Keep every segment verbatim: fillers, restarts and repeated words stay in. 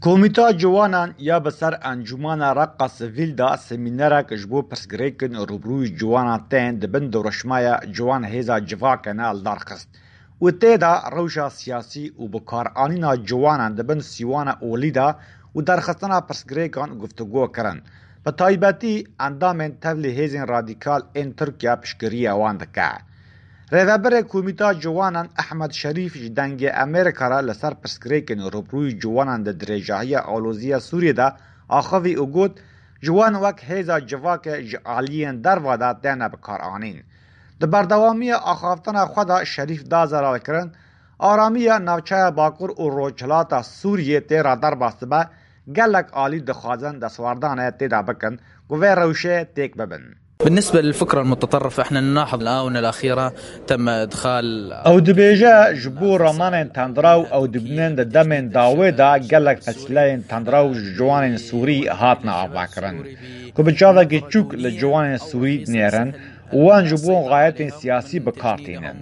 Komîta Ciwanan ya bi ser Encûmana Reqa Sivîl de semînerek ji bo pirsgirêkin rûbirûyî ciwanan tên di bin dirûşmaya Ciwan Hêza Civakê ne li dar xist û tê de rewşa siyasî û bikaranîna ciwanan di bin sîwana olî de û derxistina pirsgirêkan guftûgo kirin. Bi taybetî endamên tevlî hêzên radîkal ên Tirkiye piştgiriya wan dike. Rêvebirê Komîta Ciwanan Ehmed Şerîf ji Dengê Amerîka re li ser pirsgirêkên rûbirûyî ciwanan di dirêjahiya aloziya Sûriyê de axivî û got, Ciwan wek hêza civakê ji aliyên derva de têne bikaranîn. Di berdewamiya axaftina xwe de Şerîf da zelalkirin, aramiya navçeya Bakur û Rojhilata Sûriyê tê re derbas dibe, gelek alî dixwazin destwerdanê tê de bikin ku vê rewşê têk bibin. بالنسبة للفكرة المتطرفة، احنا نلاحظ الآونة الأخيرة تم إدخال Ew dibêje, ji bo ramanên tendraw ew dibînin di demên dawê de gelek pesîleyên tendraw ji ciwanên Sûrî hatine avakirin, ku bi çavekî çûk li ciwanên Sûrî dinêrin û wan ji bo xayetên siyasî bi kar tînin.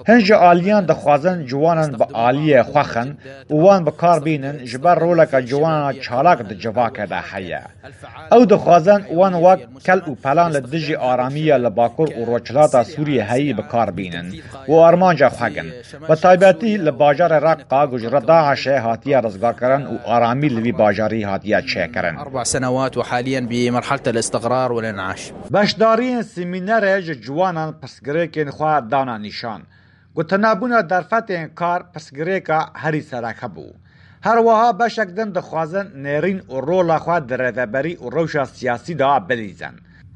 Hin ji aliyan dixwazin ciwanan bi aliyê xwe xin û wan bi kar bînin, ji ber roleke ciwanana çalak di civakê de heye. Ew dixwazin wan wek kel û pelan li dijî aramiya li Bakur û Rojhilata Sûriyê heyî bi kar bînin û armanca xwe gin. Bi taybetî li bajarê Reqqa ku ji re DAIŞê hatiye rizgarkirin û aramî li vî bajarî hatiye çêkirin. أربع سنوات وحاليا بمرحلة الاستقرار والإنعاش. Beşdariyên semînerê ji ciwanan pirsgirêkên xwe dana nîşan. Gotinebûna derfetên kar pirsgirêka herî sereke bû. Her wiha beşek din dixwazin nêrîn û rola xwe di rêveberî û rewşa siyasî de bilîzin.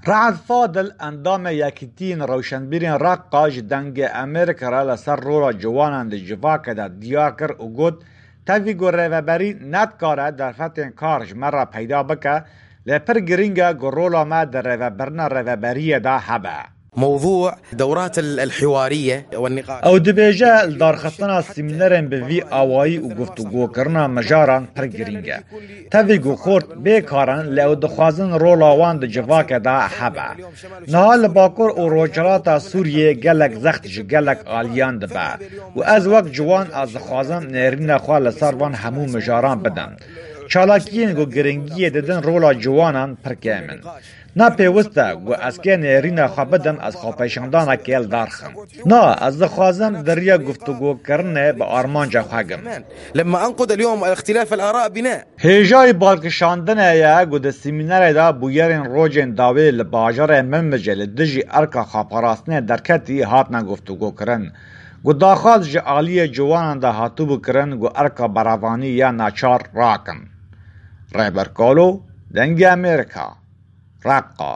Re'd Fadil, endamê Yekîtiyên Rewşenbîrên Reqqa, ji Dengê Amerîka re li ser rola ciwanan di civakê de diyar kir û got, Tevî ku rêveberî nedikare derfetên kar ji me re peyda bike, lê pir girîng e ku rola me di rêvebirina rêveberiyê de hebe. موضوع دورات ال- الحوارية والنقاش. Ew dibêje, li darxistina semînerên bi vî awayî û guftûgokirina mijaran pir girîng e. Tevî ku xort bê kar in, lê ew dixwazin rola wan di civakê de hebe. Niha li Bakur û Rojhilata Sûriyê gelek zext ji gelek aliyan dibe û ez wek ciwan ez dixwazim nêrîna xwe li ser van hemû mijaran bidim. Çalakiyên ku giringiyê didin rola ciwanan pir kêm in. Ne pêwist e ku ez kê nêrîna xwe bidim, ez xwepêşandanekê li dar xim. Na, ez dixwazim di riya guftûgokirinê bi armanca xwe gim. لما أنقد اليوم اختلاف الآراء بناء. Hêjayî balkişandinê ye ku di semînerê de bûyerên rojên dawê li bajarê Minbicê li dijî erka xweparastinê derketî hatine guftûgokirin. Ku daxwaz ji aliyê ciwanan de hatibû kirin ku erka berevanî ya naçar rakin. Rêber Kalo, Dengê Amerîka, Reqqa.